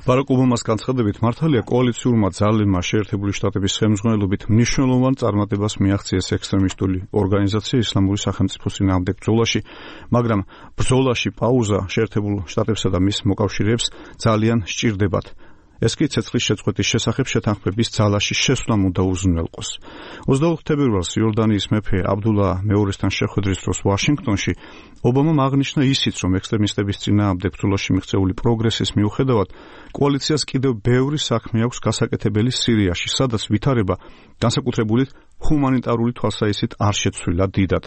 ბარაკ ობამას განცხადებით მართალია კოალიციურმა ძალებმა შეერთებული შტატების ხელმძღვანელობით მნიშვნელოვან წარმატებას მიაღწიეს ექსტრემისტული ორგანიზაცია ისლამური სახელმწიფოს წინააღმდეგ ბრძოლაში, მაგრამ ბრძოლაში პაუზა შეერთებულ შტატებსა და მის მოკავშირეებს ძალიან სჭირდებათ. ეს კი ცეცხლის შეწყვეტის შესახებ შეთანხმების ძალაში შესვლამ უნდა უზრუნველყოს. 24 თებერვალს იორდანიის მეფე აბდულა მეორესთან შეხვედრის დროს ვაშინგტონში ობამამ აღნიშნა ისიც, რომ ექსტრემისტების წინააღმდეგ ბრძოლაში მიღწეული პროგრესის მიუხედავად კოალიციას კიდევ ბევრი საქმე აქვს გასაკეთებელი სირიაში, სადაც ვითარება განსაკუთრებული ჰუმანიტარული თვალსაჩინით არ შეცვლილა დიდად.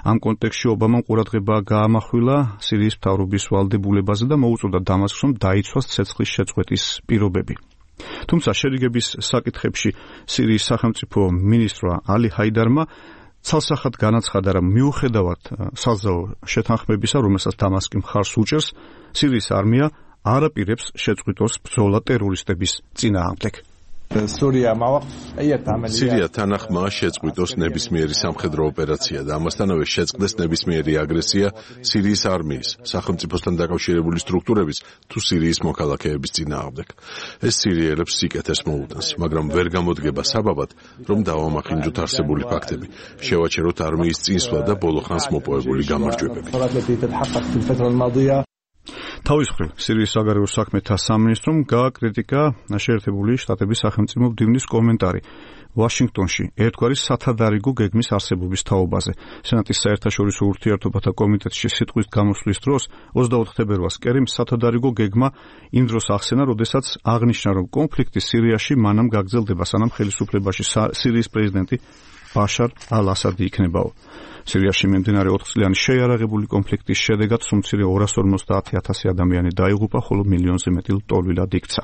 ამ კონტექსტში ობამამ ყურადღება გაამახვილა სირიის მთავრობის ვალდებულებაზე და მოუწოდა დამასკს, რომ დაიცვას ცეცხლის შეწყვეტის პირობები. თუმცა შერიგების საკითხებში სირიის სახელმწიფო მინისტრმა ალი ჰაიდარმა ცალსახად განაცხადა, რომ მიუხედავად საზავო შეთანხმებისა, რომელსაც დამასკი მხარს უჭერს, სირიის არმია არ აპირებს შეწყვიტოს ბრძოლა ტერორისტების წინააღმდეგ. სირია თანახმაა შეწყვიტოს ნებისმიერი სამხედრო ოპერაცია და ამასთანავე შეწყდეს ნებისმიერი აგრესია სირიის არმიის, სახელმწიფოსთან დაკავშირებული სტრუქტურების თუ სირიის მოქალაქეების წინააღმდეგ. ეს სირიელებს სიკეთეს მოუტანს, მაგრამ ვერ გამოდგება საბაბად, რომ დავამახინჯოთ არსებული ფაქტები, შევაჩეროთ არმიის წინსვლა და ბოლოხანს მოპოვებული გამარჯვებები. თავის მხრივ სირიის საგარეო საქმეთა სამინისტრომ გააკრიტიკა შეერთებული შტატების სახელმწიფო მდივნის კომენტარი ვაშინგტონში ერთგვარი სათადარიგო გეგმის არსებობის თაობაზე. სენატის საერთაშორისო ურთიერთობათა კომიტეტში სიტყვის გამოსვლის დროს 24 თებერვალს კერიმ სათადარიგო გეგმა იმ დროს ახსენა, როდესაც აღნიშნა, რომ კონფლიქტი სირიაში მანამ გაგრძელდება, სანამ ხელისუფლებაში სირიის პრეზიდენტი ბაშარ ალ-ასადი იქნებაო. სირიაში მიმდინარე 4 წლიანი შეიარაღებული კონფლიქტის შედეგად სუმცირე 250,000 ადამიანი დაიღუპა, ხოლო მილიონზე მეტი ლტოლვილად იქცა.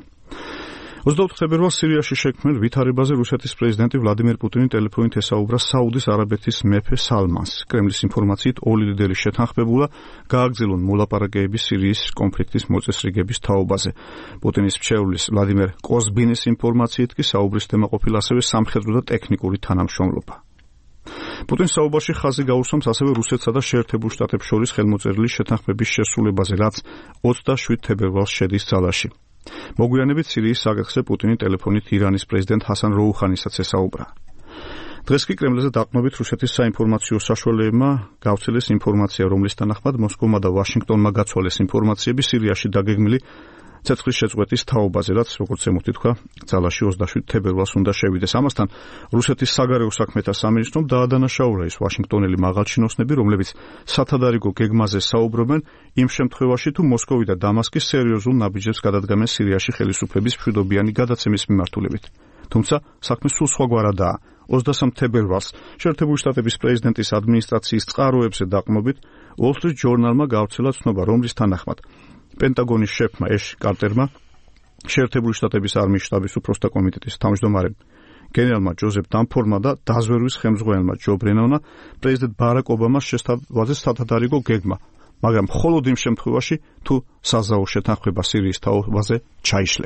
24 თებერვალს სირიაში შექმნილ ვითარებაზე რუსეთის პრეზიდენტი ვლადიმერ პუტინი ტელეფონით ესაუბრა საუდის არაბეთის მეფე სალმანს. კრემლის ინფორმაციით ორი ლიდერი შეთანხმებულა გააგრძელონ მოლაპარაკებები სირიის კონფლიქტის მოწესრიგების თაობაზე. პუტინის მრჩევლის ვლადიმერ კოზბინის ინფორმაციით კი საუბრის თემა ყოფილა ასევე სამხედრო და ტექნიკური თანამშრომლობა. პუტინს საუბარში ხაზი გაუსვამს ასევე რუსეთსა და შეერთებულ შტატებს შორის ხელმოწერილი შეთანხმების შესრულებაზე, რაც 27 თებერვალს შედის ძალაში. მოგვიანებით სირიის საკითხზე პუტინი ტელეფონით ირანის პრეზიდენტ ჰასან როუხანისაც ესაუბრა. დღეს კი კრემლზე დაყრდნობით რუსეთის საინფორმაციო საშუალებებმა გავრცელეს ინფორმაცია, რომლის თანახმად მოსკოვმა და ვაშინგტონმა გაცვალეს ინფორმაციები სირიაში დაგეგმილი ცეცხლის შეწყვეტის თაობაზე, რაც როგორც ემუქი თქვა, ძალაში 27 თებერვალს უნდა შევიდეს. ამასთან რუსეთის საგარეო საქმეთა სამინისტრომ დაადანაშაულა ის ვაშინგტონელი მაღალჩინოსნები, რომლებიც სათადარიგო გეგმაზე საუბრობენ იმ შემთხვევაში, თუ მოსკოვი და დამასკი სერიოზულ ნაბიჯებს გადადგამენ სირიაში ხელისუფლების მშვიდობიანი გადაცემის მიმართულებით. თუმცა საქმე სულ სხვაგვარადაა. 23 თებერვალს შეერთებული შტატების პრეზიდენტის ადმინისტრაციის წყაროებზე დაყრდნობით Wall Street Journal-მა გავრცელა ცნობა, რომლის თანახმად პენტაგონის შეფმა ეშ კარტერმა შეერთებული შტატების არმიის შტაბის უფროსთა კომიტეტის თავმჯდომარემ გენერალმა ჯოზეფ დამფორმმა და დაზვერვის ხელმძღვანელმა ჯო ბრენონმა პრეზიდენტ ბარაკ ობამას შესთავაზეს სათადარიგო გეგმა, მაგრამ მხოლოდ იმ შემთხვევაში, თუ საზავო შეთანხმება სირიის თაობაზე ჩაიშლება.